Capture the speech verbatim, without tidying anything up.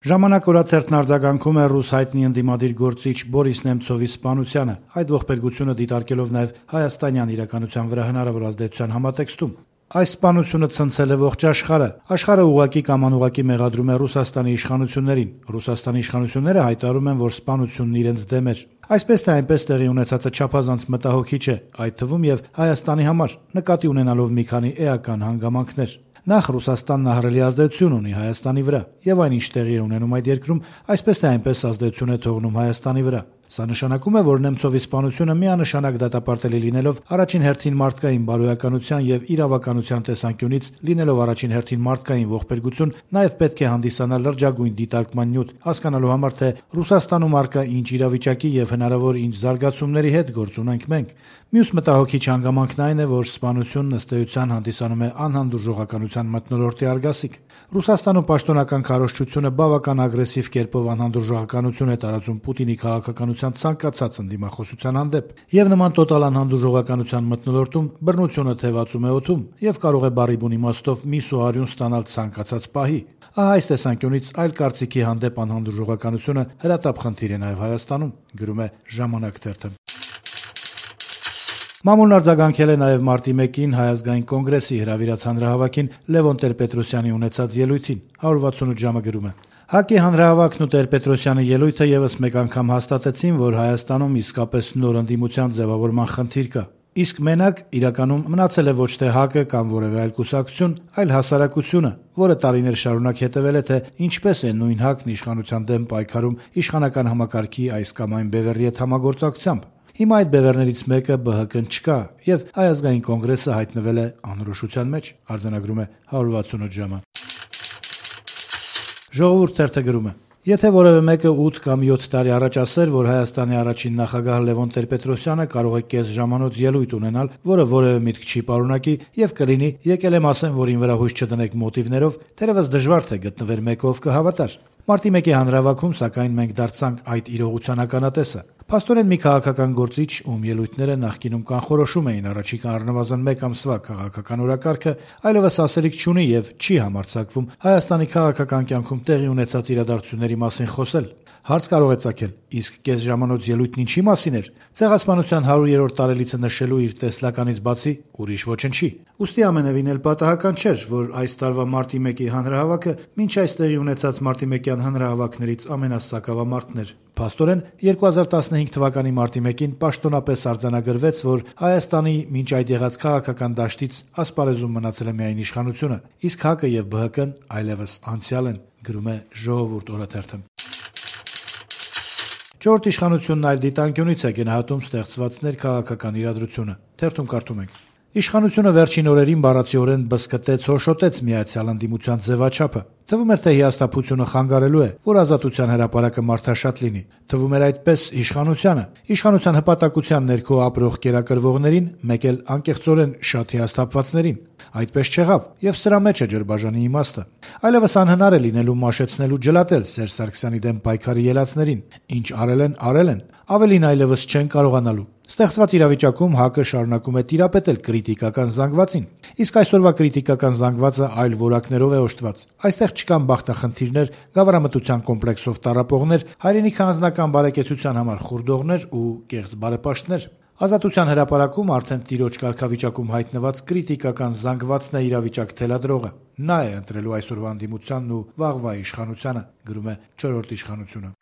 Ժամանակ օրաթերթն արձագանքում է ռուս հայտնի ընդդիմադիր գործիչ Բորիս Նեմցովի սպանությանը, այդ ողբերգությունը դիտարկելով նաև հայաստանյան իրականության վրա հնարավոր ազդեցության համատեքստում։ Այս սպանությունը ցնցել է ողջ աշխարհը։ Աշխարհը ուղղակի կամ անուղղակի մեղադրում է Ռուսաստանի իշխանություններին։ Ռուսաստանի իշխանությունները հայտարարում են, որ սպանությունն իրենց դեմ էր։ Այսպես թե այնպես տեղի ունեցածը չափազանց մտահոգիչ է, այդ թվում եւ Հայաստանի համար, նկատի ունենալով մի քանի էական հանգամանքներ։ Նախ Ռուսաստանն ահռելի ազդեցություն ունի Հայաստանի վրա, եւ այն ինչ տեղի է ունենում այդ երկրում, այսպես թե այնպես ազդեցություն է թողնում Հայաստանի վրա։ Սա նշանակում է, որ Նեմցովի սպանությունը միանշանակ դատապարտելի լինելով առաջին հերթին մարդկային բարոյականության եւ իրավականության տեսանկյունից լինելով առաջին հերթին մարդկային ողբերգություն, նաեւ պետք է հանդիսանա լրջագույն դիտարկման նյութ, հասկանալու համար, թե Ռուսաստանում առկա ինչ իրավիճակի եւ հնարավոր ինչ զարգացումների հետ գործ ունենք մենք։ Մյուս մտահոգիչ հանգամանքն այն է, որ սպանությունն ըստ էության հանդիսանում է անհանդուրժողականության մթնոլորտի արգասիկ։ Ռուսաստանում պաշտոնական քարոզչությունը բավական ագրեսիվ կերպով անհանդուրժողականություն է տարածում Պուտինի քաղաքականության ցանկացած ընդդիմախոսության հանդեպ, եւ նման տոտալ անհանդուրժողականության մթնոլորտում բռնությունը թևածում է օդում եւ կարող է բառի բուն իմաստով միս ու արյուն ստանալ ցանկացած պահի։ Ահա այս տեսանկյունից այլ կարծիքի հանդեպ անհանդուրժողականությունը հրատապ խնդիր է նաեւ Հայաստանում, գրում է Ժամանակ թերթը։ Մամուլն արձագանքել է նաև մարտի մեկին Հայ ազգային կոնգրեսի հրավիրած հանրահավաքին Լևոն Տեր-Պետրոսյանի ունեցած ելույթին, one sixty-eight ժամը գրում է. ՀԱԿ-ի հանրահավաքն ու Տեր-Պետրոսյանի ելույթը եւս մեկ անգամ հաստատեցին, որ Հայաստանում իսկապես նոր ընդդիմության ձևավորման խնդիր կա։ Իսկ մենակ իրականում մնացել է ոչ թե ՀԱԿ-ը կամ որևէ այլ կուսակցություն, այլ հասարակությունը, որը տարիներ շարունակ հետևել է, թե ինչպես է նույն ՀԱԿ-ն իշխանության դեմ պայքարում իշխանական համակարգի այս կամ այն բևեռի հետ համագործակցությամբ։ Հիմա այդ բևեռներից մեկը ԲՀԿ-ն չկա, եւ Հայ ազգային կոնգրեսը հայտնվել է անորոշության մեջ, արձանագրում է one sixty-eight ժամը։ Ժողովուրդ թերթը գրում է. Եթե որևէ մեկը ութ կամ յոթ տարի առաջ ասեր, որ Հայաստանի առաջին նախագահ Լևոն Տեր-Պետրոսյանը կարող է կես ժամանոց ելույթ ունենալ, որը որևէ միտք չի պարունակի, եւ կլինի, եկել եմ ասեմ, որ ին վրա հույս չդնեք մոտիվներով, թերևս դժվար թե գտնվեր մեկը, ով կհավատար։ Մարտի մեկի հանրահավաքում, սակայն, մենք դարձանք այդ իրողության ականատեսը։ Փաստորեն մի քաղաքական գործիչ, ում ելույթները նախկինում կանխորոշում էին առաջիկա առնվազն մեկ ամսվա քաղաքական օրակարգը, այլևս ասելիք չունի եւ չի համարձակվում Հայաստանի քաղաքական կյանքում տեղի ունեցած իրադարձությունների մասին խոսել։ Հարց կարող է ծագել, իսկ կես ժամանոց ելույթն ինչի մասին էր։ Ցեղասպանության հարյուրերորդ տարելիցը նշելու իր տեսլականից բացի ուրիշ ոչնչի։ Ուստի ամենևին էլ պատահական չէր, որ այս տարվա մարտի մեկի հանրահավաքը մինչ այս տեղի ունեցած մարտի մեկյան հանրահավաքներից ամենասակավամարտն էր։ Փաստորեն two thousand fifteen թվականի մարտի մեկին պաշտոնապես արձանագրվեց, որ Հայաստանի մինչ այդ եղած քաղաքական դաշտից ասպարեզում մնացել է միայն իշխանությունը, իսկ ՀԱԿ-ը եւ ԲՀԿ-ն այլևս անցյալ են, գրում է Ժողովուրդ օրաթերթը։ Չորրորդ իշխանությունն այլ դիտանկյունից է գնահատում ստեղծված ներքաղաքական իրադրությունը։ Թերթում կարդում ենք. Իշխանությունը վերջին օրերին բառացիորեն բզկտեց, հոշոտեց միացյալ ընդդիմության ձևաչափը։ Թվում էր, թե հիասթափությունը խանգարելու է, որ ազատության հրապարակը մարդաշատ լինի։ Թվում էր այդպես իշխանությանը, իշխանության հպատակության ներքո ապրող կերակրվողներին, մեկ էլ անկեղծորեն շատ հիասթափվածներին։ Այդպես չեղավ, եւ սրա մեջ է ջրբաժանի իմաստը։ Այլևս անհնար է լինելու մաշեցնել ու ջլատել Սերժ Սարգսյանի դեմ պայքարի ելածներին։ Ինչ արել են, արել են, ավելին այլևս չեն կարողանալու։ Ստեղծված իրավիճակում ՀԱԿ-ը շարունակում է տիրապետել կրիտիկական զանգվածին, իսկ այսօրվա կրիտիկական զանգվածը այլ որակներով է օժտված։ Այստեղ չկան բախտախնդիրներ, գավառամտության կոմպլեքսով տառապողներ, հայրենիքի անձնական բարեկեցության համար խուրդողներ ու կեղծ բարեպաշտներ։ Ազատության հրապարակում արդեն տիրոջ կարգավիճակում հայտնված կրիտիկական զանգվածն է իրավիճակ թելադրողը։ Նա է ընտրելու այսօրվա ընդդիմությանն ու վաղվա իշխանությանը, գրում է չորրորդ իշխանությունը։